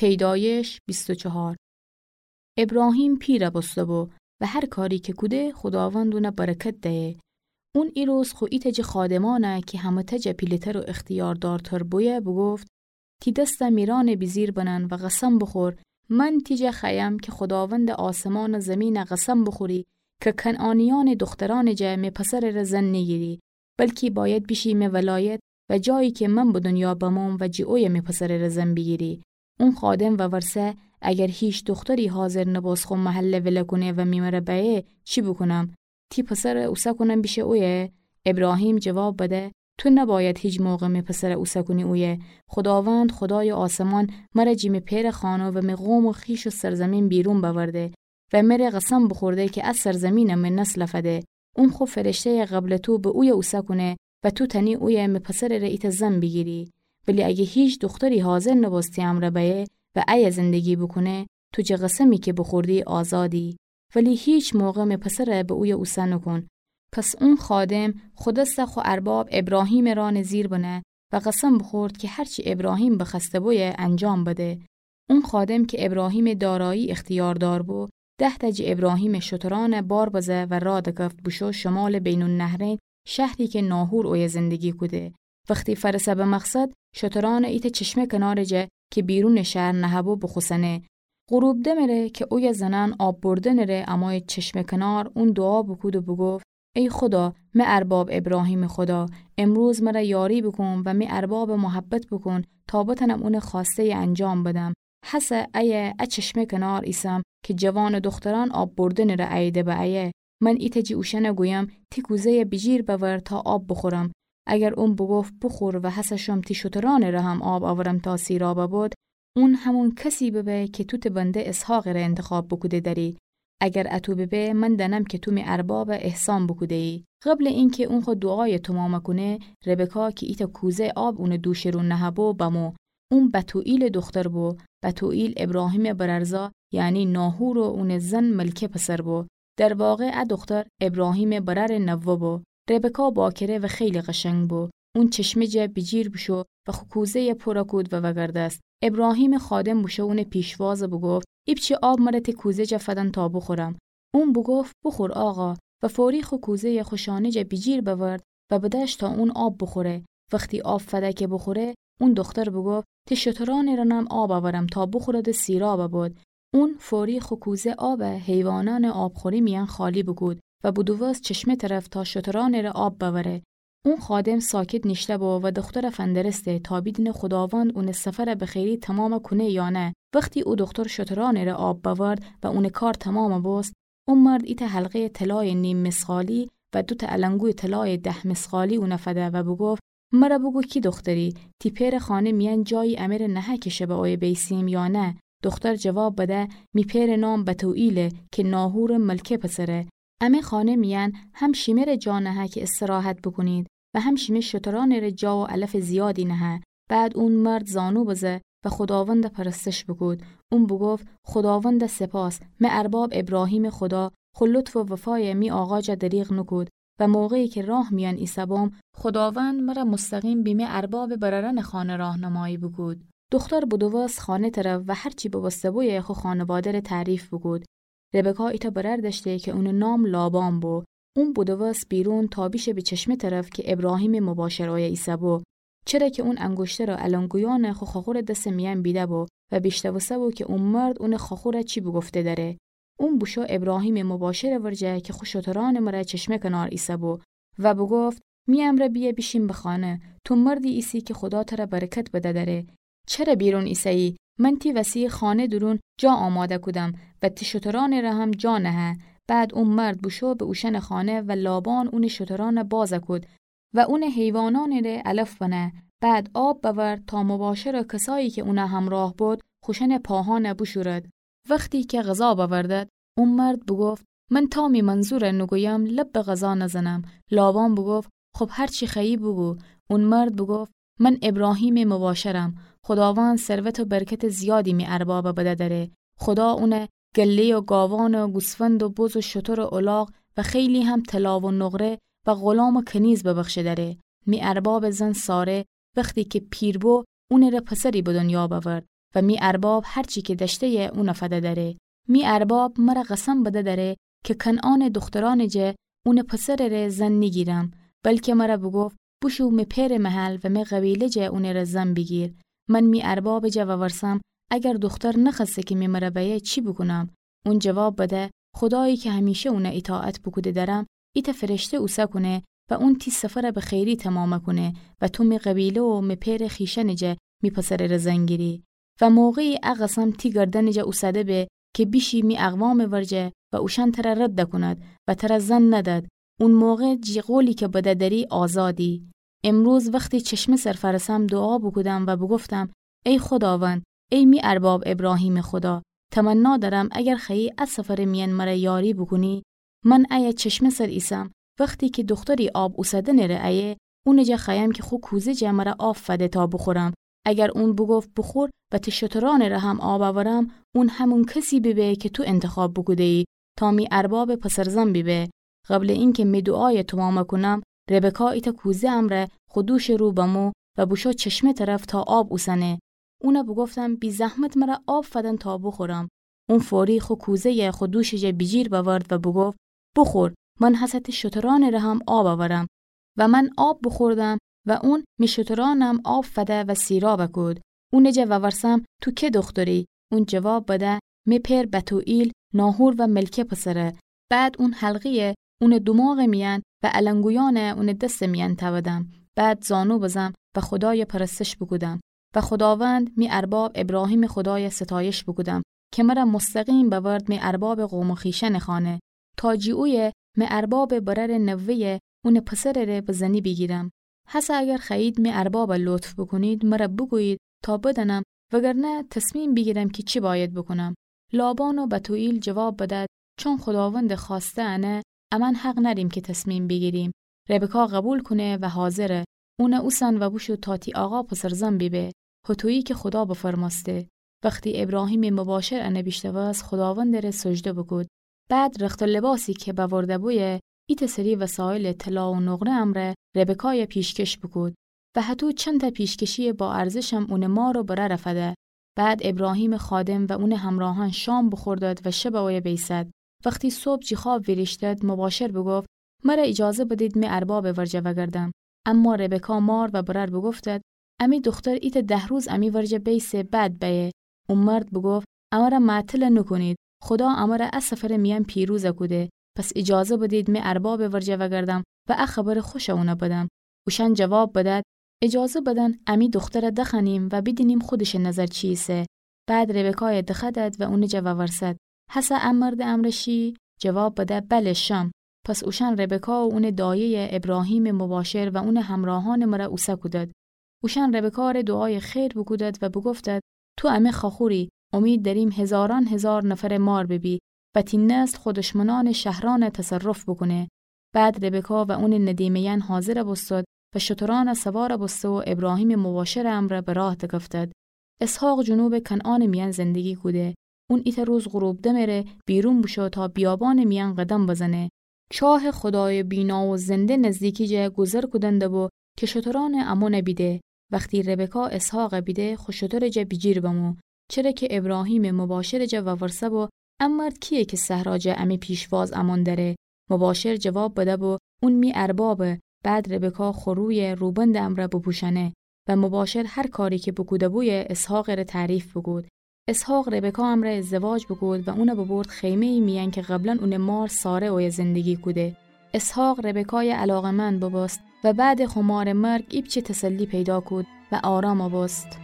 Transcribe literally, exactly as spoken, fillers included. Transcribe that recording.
پیدایش بیست و چهار. ابراهیم پیرَ بوسته‌بو و هر کاری کی کوده خوداوند اونَ برکت دهیه. اون ایروز خو ایتأ جٚه خادمأنَ کی همه‌تأ جٚه پیله‌تر و اختیاردارتر بویه بوگفت: تی دستَ می رانٚ بیجیر بنن و قسم بوخور، من تی جٚه خوأیم کی خوداوندٚ آسمان و زیمینَ قسم بوخوری کی کنعانیأنٚ دوخترأنٚ جٚه می پسرٚ ره زن نیگیری، بلکی بأید بیشی می ولایت و جایی کی من به دونیا بموم و جٚه اویه می پسرٚ ره زن بیگیری. اون خادم وورسه: اگر هیچ دوختری حاضر نبوست خو محلَ ولَ کونه و می مره بأیه، چی بوکونم؟ تی پسرَ اوسه کونم بیشه اویه؟ ابراهیم جواب بده: تو نبأید هیچ موقع می پسرَ اوسه کونی اویه. خوداوند، خودایٚ آسمان، مره جٚه می پئرٚ خانه و می قوم و خویش و سرزیمین بیرون بأورده و مره قسم بوخورده کی ا سرزیمینَ می نسلَ فده. اون خو فرشته‌یَ قبلٚ تو به اویه اوسه کونه و تو تأنی اویه می پسرٚ ره ایتأ زن بیگیری. ولی اگه هیچ دوختری حاضر نبوست تی امرأ بأیه و ایه زندگی بوکونه، تو جٚه قسمی کی بوخوردی آزادی. ولی هیچ موقع می پسرَ به اویه اوسه نوکون. پس اون خادم خو دستَ خو ارباب ابراهیمٚ رانٚ زیر بنه و قسم بوخورد کی هرچی ابراهیم بخوأسته بویه انجام بده. اون خادم کی ابراهیمٚ دارایی اختیاردار بو، ده‌تأ جٚه ابراهیمٚ شترأنَ بار بزه و راه دکفت بوشو شمالٚ بین‌النهرین، شهری کی ناحور اویه زندگی کوده. وختی فأرسه به مقصد، شترأنَ ایتأ چشمه کنارٚ جٚه کی بیرونٚ شهر نهه‌بو بوخوسنه. غروب دمٚ ره کی اویه زنأن آب بردنٚ ره امویید چشمه کنار، اون دوعا بوکود و بوگفت: ای خودا، می ارباب ابراهیمٚ خودا، امروز مره یاری بوکون و می اربابَ محبت بوکون تا بتأنم اونٚ خوأسته‌یَ انجام بدم. هسه ایه ا چشمه کنار ایسم کی جوانٚ دوخترأن آب بردنٚ ره اییده به ایه. من ایتأ جٚه اوشأنَ گویم: تی کوزه‌یَ بیجیر بأور تا آب بوخورم. اگر اون بوگفت: بوخور و هسه شوم تی شترأنٚ ره هم آب اورم تا سیرابَ بد، اون همون کسی ببه کی تو تی بنده اسحاقٚ ره انتخاب بوکوده دأری. اگر اطو ببه، من دأنم کی تو می اربابَ احسان بوکوده‌یی. قبلٚ اینکی اون خو دوعایَ تومامَ کونه، ربکا کی ایتأ کوزه آب اونٚ دوشٚ رو نهه‌بو بمو. اون بتوئیلٚ دوختر بو. بتوئیل ابراهیمٚ برأرزا، یعنی ناحور و اونٚ زن ملکه پسر بو. در واقع ا دوختر ابراهیمٚ برأرٚ نوه بو. ربکا باکره و خیلی قشنگ بو. اون چشمه جٚه بیجیر بوشو و خو کوزه‌یَ پورَ کود و وأگردست. ابراهیمٚ خادم بوشو اونٚ پیشواز و بوگفت: ایپچه آب مره تی کوزه جٚه فدن تا بوخورم. اون بوگفت: بوخور آقا. و فوری خو کوزه‌یَ خو شانه جٚه بیجیر بأورد و بدأشت تا اون آب بوخوره. وختی آب فده کی بوخوره، اون دوختر بوگفت: تی شترأنٚ رانم آب اورم تا بوخورد و سیرابَ بد. اون فوری خو کوزه آبَ حیوانأنٚ آبخوری میأن خالی بوکود و بودووست چشمه طرف تا شترأنٚ ره آب بأوره. اون خادم ساکت نیشته‌بو و دوخترَ فندرسته تا بیدینه خوداوند اونٚ سفرَ به خیری تومامَ کونه یا نه. وختی او دوختر شترأنٚ ره آب بأورد و اونٚ کار تومامَ بوست، او مرد ایتأ حلقه‌یٚ طلایٚ نیم مثقالی و دوتأ النگویٚ طلایٚ ده مثقالی اونَ فده و بوگفت: مره بوگو کی دوختری، تی پئرٚ خانه میأن جایی امره نهه کی شبه اویه بیسیم یا نه؟ دوختر جواب بده: می پئرٚ نام بتوئیله کی ناحورٚ ملکه پسره. امه خانه میأن هم شیمه ره جا نهه کی استراحت بوکونید و هم شیمه شترأنٚ ره جا و علفٚ زیادی نهه. بعد اون مرد زانو بزه و خوداوندَ پرستش بوکود. اون بوگفت: خوداوندَ سپاس، می ارباب ابراهیمٚ خودا خو لطف و وفایَ می آقا جا دریغ نوکود و موقعی کی راه میأن ایسه‌بوم، خوداوند مره مستقیم بی می اربابٚ برأرأنٚ خانه راهنمایی بوکود. دوختر بودووست خانه طرف و هرچی ببوسته‌بویه خو خانواده‌ره تعریف بوکود. ربکا ایتأ برأر دأشته کی اونٚ نام لابان بو. اون بودووست بیرون تا بیشه به چشمه طرف کی ابراهیمٚ مباشر اویه ایسه‌بو. چره کی اون انگشتر و النگویأنَ خو خاخورٚ دسٚ میأن بیده‌بو و بیشنوسته‌بو کی او مرد اونٚ خاخورَ چی بوگفته دأره. اون بوشو ابراهیمٚ مباشرٚ ورجه کی خو شترأنٚ مره چشمه کنار ایسه‌بو و بوگفت: می امرأ بیه بیشیم به خانه. تو مردی ایسی کی خودا تره برکت بده دأره. چره بیرون ایسه‌یی؟ من تی وسی خانه دورون جا آماده کودم و تی شترأنٚ ره هم جا نهه. بعد او مرد بوشو به اوشأنٚ خانه و لابان اونٚ شترأنَ بازَ کود و اونٚ حیوانأنٚ ره علف بنه. بعد آب بأورد تا مباشر و کسایی کی اونٚ همراه بود خوشأنٚ پاهأنَ بوشورد. وختی کی غذا بأوردد، او مرد بوگفت: من تا می منظورَ نوگویم لب به غذا نزنم. لابان بوگفت: خب هرچی خوأیی بوگو. او مرد بوگفت: من ابراهیمٚ مباشرم. خوداوند ثروت و برکتٚ زیادی می اربابَ بده دأره. خودا اونَ گله و گاوأن و گوسفند و بز و شتر و الاغ و خیلی هم طلا و نقره و غلام و کنیز ببخشه دأره. می اربابٚ زن ساره وختی کی پیر بو، اونٚ ره پسری به دنیا بأورد. و می ارباب هر چی کی دأشته‌یه اونَ فده دأره. می ارباب مرَ قسم بده دأره کی کنعانٚ دوخترأنٚ جا اونٚ پسرٚ ره زن نیگیرم، بلکی مرَ بوگفت بوشو می پئرٚ محل و می قبیله جا اونٚ ره زن بیگیر. من می اربابٚ جا وورسم اگر دوختر نخوأسته کی می مرَ بأیه چی بوکونم؟ اون جواب بده خودایی کی همیشه اونَ ایطاعت بوکوده دأرم، ایتأ فرشته اوسه کونه و اون تی سفرَ به خیری تومامَ کونه و تو می قبیله و می پئرٚ خویشأنٚ جا می پسرٚ ره زن گیری. و موقعی ا قسم تی گردنٚ جا اوسده به کی بیشی می اقوامٚ ورجه و اوشأن ترَ رد کونید و ترَ زن ندید. اون موقع جی قولی کی بده دأری آزادی. امروز وختی چشمه سر فأرسم دوعا بوکودم و بوگفتم ای خوداوند، ای می ارباب ابراهیمٚ خودا، تمنا دأرم اگر خوأیی ا سفرٚ میأن مرَ یاری بوکونی، من ایه چشمه سر ایسم، وختی کی دوختری آب اوسدنٚ ره ایه، اونٚ جا خوأیم کی خو کوزه جا مرَ آب فده تا بوخورم. اگر اون بوگفت بوخور و تی شترأنٚ ره هم آب اورم، اون همون کسی بیبه کی تو انتخاب بوکوده‌یی تا می اربابٚ پسرزن بیبه. قبلٚ اینکی می دوعایَ تومامَ کونم، ربکا ایتأ کوزه امرأ خو دوشٚ رو بمو و بوشو چشمه طرف تا آب اوسنه. اونَ بوگفتم بی‌زحمت مرَ آب فدن تا بوخورم. اون فوری خو کوزه‌یَ خو دوشٚ جا بیجیر بأورد و بوگفت بوخور، من هسه تی شترأنٚ ره هم آب اورم. و من آب بوخوردم و اون می شترأنم آب فده و سیرابَ کود. اونٚ جا وورسم تو کی دوختری؟ اون جواب بده می پئر بتوئیل، ناحور و ملکه پسره. بعد اون حلقه‌یَ اونٚ دوماغٚ میأن و النگویأنَ اونٚ دستٚ میأن تأودم. بعد زانو بزم و خودایَ پرستش بوکودم و خوداوند می ارباب ابراهیمٚ خودایَ ستایش بوکودم کی مرَ مستقیم بأورد می اربابٚ قوم و خویشأنٚ خانه تا جی اویه می اربابٚ برأرٚ نوه‌یَ اونٚ پسرٚ ره به زنی بیگیرم. هسه اگر خوأیید می اربابَ لطف بوکونید، مرَ بوگویید تا بدأنم، وگرنه تصمیم بیگیرم کی چی بأید بوکونم. لابان و بتوئیل جواب بدد چون خوداوندٚ خوأسته انه، امأن حق نأریم کی تصمیم بیگیریم. ربکا قبول کونه و حاضره. اونَ اوسن و بوشو تا تی آقا پسرزن بیبه، هطویی کی خودا بفرمأسته. وختی ابراهیمٚ مباشر انَ بیشنوست، خوداوندٚ ره سجده بوکود. بعد رخت و لباسی کی بأورده بویه، ایتأ سری وسایلٚ طلا و نقره امرأ ربکایَ پیشکش بوکود و هطو چندتأ پیشکشیٚ با ارزشم اونٚ مار و برأرَ فده. بعد ابراهیمٚ خادم و اونٚ همراهأن شام بوخوردد و شبَ اویه بیسد. وختی صبح جی خواب ویریشتد، مباشر بوگفت: مرَ ایجازه بدید می اربابٚ ورجه وگردم. اما ربکا مار و برأر بوگفتد: امی دوختر ایتأ ده روز امی ورجه بیسه، بعد بأیه. او مرد بوگفت: امرَ معطل نوکونید، خودا امرَ ا سفرٚ میأن پیروز کوده، پس ایجازه بدید می اربابٚ ورجه وگردم و ا خبرٚ خوشَ اونَ بدم. اوشأن جواب بدد: ایجازه بدن امی دوخترَ دخوأنیم و بیدینیم خودشٚ نظر چی ایسه. بعد ربکایَ دخوأدد و اونٚ جا وورسد: هسه ا مردٚ امرأ شی؟ جواب بده: بله، شم. پس اوشأن ربکا و اونٚ دایه‌یَ ابراهیمٚ مباشر و اونٚ همراهأنٚ مرأ اوسه کودد. اوشأن ربکا ره دوعایٚ خیر بوکودد و بوگفتد: تو امه خواخوری، امید دأریم هزارأن هزار نفرٚ مار ببی و تی نسل خو دشمنأنٚ شهرأنَ تصرف بوکونه. بعد ربکا و اونٚ ندیمه‌یأن حاضرَ بوستد و شترأنَ سوارَ بوسته و ابراهیمٚ مباشرٚ امرأ به راه دکفتد. اسحاق جنوبٚ کنعانٚ میأن زندگی کوده. اون ایتأ روز غروب دمٚ ره بیرون بوشو تا بیابانٚ میأن قدم بزنه. چاهٚ خودایٚ بینا و زنده نزدیکی جا گوذر کودن دبو کی شترأنٚ امونَ بیده. وختی ربکا اسحاقَ بیده، خو شترٚ جا بیجیر بمو، چره کی ابراهیمٚ مباشرٚ جا وورسه بو: ا مرد کییه کی صحرا جا امی پیشواز امون دأره؟ مباشر جواب بده‌بو: اون می اربابه. بعد ربکا خو رویَ روبندٚ امرأ بوپوشأنه و مباشر هر کاری کی بوکوده‌بویه اسحاقٚ ره تعریف بوکود. اسحاق ربکا امرأ ازدواج بوکود و اونَ ببرد خیمه‌یٚ میأن کی قبلا اونٚ مار ساره اویه زندگی کوده. اسحاق ربکایَ علاقه‌مند ببوست و بعدٚ خو مارٚ مرگ ایپچه تسلی پیدا کود و آرامَ بوست.